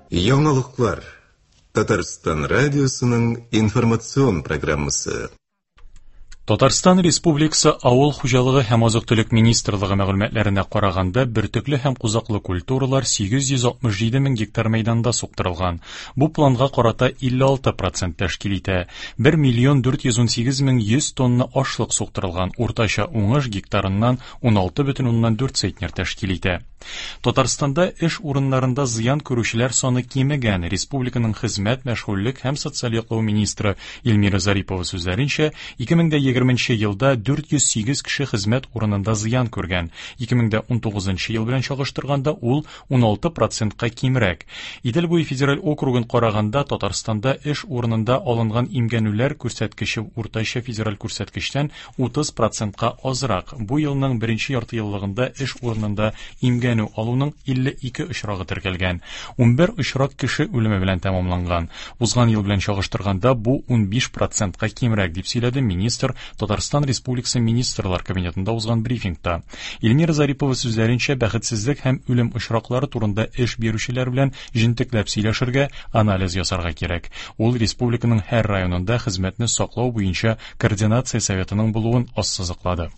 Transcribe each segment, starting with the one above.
Яңалыклар. Татарстан радиосының информацион программасы. Татарстан Республикасы Авыл хуҗалыгы һәм азык-төлек министрлыгы мәгълүматларына караганда, бөртекле һәм кузаклы культуралар 867 мең гектар мәйданда суктырылган. Бу планга карата 56% тәшкил итә. 1 миллион 418 мең 100 тонна ашлык суктырылган. Уртача уңыш гектарыннан 16,4 центнер тәшкил итә. Татарстанда эш урыннарында зыян күрүчеләр саны кимегән. Республиканың хезмәт, мәшгульлек һәм социаль яклау министры Эльмира Зарипова сүзләренчә, 2020 елда 408 кеше хезмәт урынында зыян күргән. 2019 ел белән чагыштырганда ул 16%-ка кимрәк. Идел буе федераль округын караганда Татарстанда эш урынында алынган имгәнүләр күрсәткече уртача федераль күрсәткечтән 30%-ка азрак. Бу елның беренче яртыеллыгында эш урынында имгәнү алуның 52 очрагы теркәлгән. 11 очрак кеше үлеме белән тәмамланган. Узган ел белән чагыштырганда бу 15%-ка кимрәк, дип сөйләде министр Татарстан Республикасы Министрлар Кабинетында узган брифингта. Эльмира Зарипова сүзләренчә, бәхетсезлек һәм үлем очраклары турында эш бирүчеләр белән җентекләп сөйләшергә, анализ ясарга кирәк. Ул республиканың һәр районында хезмәтне саклау буенча координация советының булуын ассызыклады.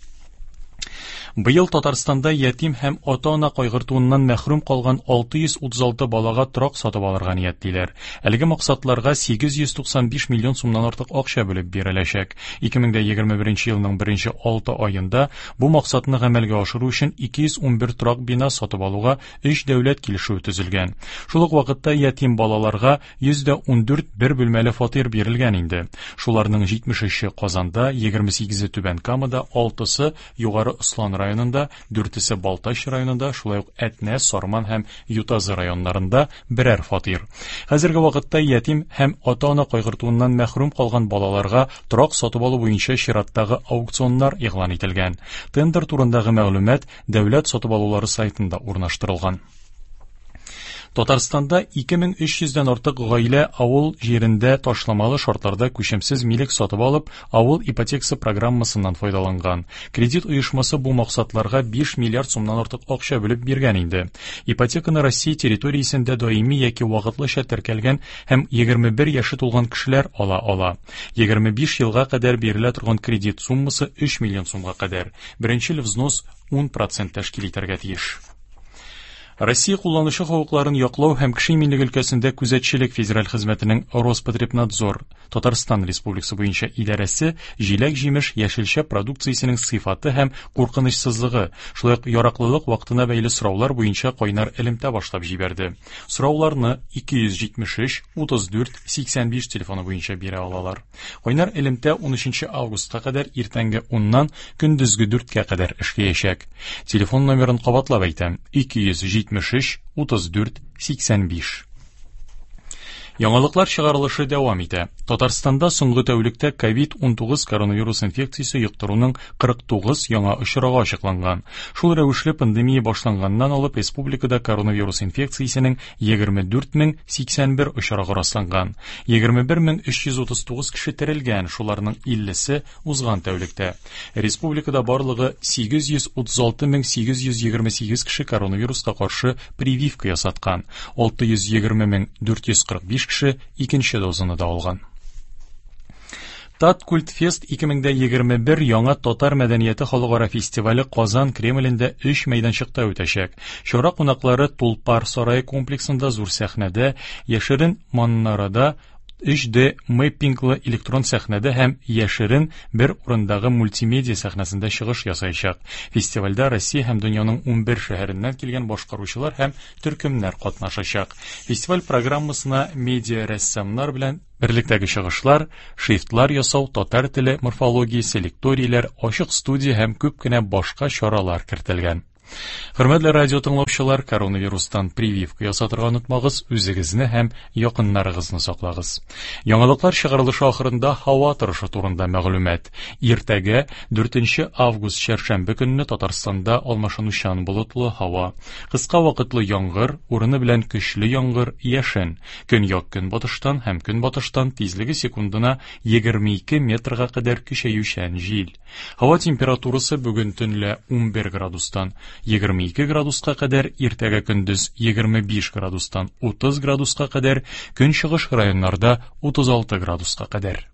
Быел Татарстанда ятим һәм ата-ана кайгыртуыннан мәхрүм калган 636 балага торак сатып алырга ниятлиләр. Әлеге максатларга 895 миллион сумнан артык акча бүлеп биреләчәк. 2021 елның беренче 6 аенда бу максатны гамәлгә ашыру өчен 211 торак бина сатып алуга 3 дәүләт килешүе төзелгән. Шул ук вакытта ятим балаларга 114 бер бүлмәле фатир бирелгән инде. Шуларның 73-е Казанда, 28-е Түбән Камада, 6-сы Югары Ослан районында, 4-се Балтач районында, шулай ук Әтнә, Сарман һәм Ютазы районнарында берәр фатир. Хәзерге вакытта ятим һәм ата-ана кайгыртуыннан мәхрүм калган балаларга торак сатып алу буенча чираттагы аукционнар игълан ителгән. Тендер турындагы мәгълүмат дәүләт сатып алулары сайтында урнаштырылган. Татарстанда 2300 дән артык гаилә авыл җирендә ташламалы шартларда күчемсез милек сатып алып, авыл ипотекасы программасыннан файдаланган. Кредит оешмасы бу максатларга 5 миллиард сумнан артык акча бүлеп биргән инде. Ипотеканы Россия территориясендә даими яки вакытлыча теркәлгән һәм 21 яше тулган кешеләр ала ала. 25 елга кадәр бирелә торган кредит суммасы 3 миллион сумга кадәр. Беренчел взнос 10% тәшкил итәргә тиеш. Россия кулланучы хокукларын яклау һәм кеше иминлеге өлкәсендә күзәтчелек федераль хезмәтенең Роспотребнадзор Татарстан Республикасы буенча идарәсе җиләк-җимеш, яшелчә продукциясенең сыйфаты һәм куркынычсызлыгы, шулай ук яраклылык вакытына бәйле сораулар буенча кайнар элемтә башлап җибәрде. Сорауларны 273 34 85 телефоны буенча бирә алалар. Кайнар элемтә 13 августка кадәр иртәнге 10-нан көндезге 4-кә кадәр эшләячәк. Телефон номерын кабатлап әйтәм: 273 34 85. Яңалыклар чыгарылышы дәвам итә. Татарстанда соңгы тәүлектә COVID-19 коронавирус инфекциясе йоктыруның 49 яңа очрагы ачыкланган. Шул рәвешле пандемия башланганнан алып республикада коронавирус инфекциясенең 24081 очрагы расланган. 21339 кеше терелгән, шуларның 50-се узган тәүлектә. Республикада барлыгы 836828 кеше коронавируска каршы прививка ясаткан. 620445 кеше икенче дозаны да алган. Таткультфест 2021 яңа татар мәдәнияте халыкара фестивале Казан Кремлендә 3 мәйданчыкта үтәчәк. Чара кунаклары Тулпар сарае комплексында зур сәхнәдә, яшерен манарада 3D мэппинглы электрон сәхнәдә һәм яшерен бер урындагы мультимедиа сәхнәсендә чыгыш ясаячак. Фестивальдә Россия һәм дөньяның 11 шәһәреннән килгән башкаручылар һәм төркемнәр катнашачак. Фестиваль программасына медиа рәссамнар белән берлектәге чыгышлар, шрифтлар ясау, татар теле морфологиясе, лекторийләр, ачык студия һәм күп кенә башка чаралар кертелгән. Хөрмәтле радио тыңлаучылар, коронавирустан прививка ясатырга онытмагыз, үзегезне һәм якыннарыгызны саклагыз. Яңалыклар чыгарылышы ахырында һава торышы турында мәгълүмат. Иртәгә 4 август чәршәмбе көнне Татарстанда алмашынучан болытлы һава, кыска вакытлы яңгыр, урыны белән көчле яңгыр, яшен. Көньяк көнбатыштан һәм көнбатыштан тизлеге секундына 22 метрга кадәр көчәючән җил. Һава температурасы бүген төнлә 11 градустан 22 градуска кадәр, иртәгә көндез 25 градустан 30 градуска кадәр, көнчыгыш районнарда 36 градуска кадәр.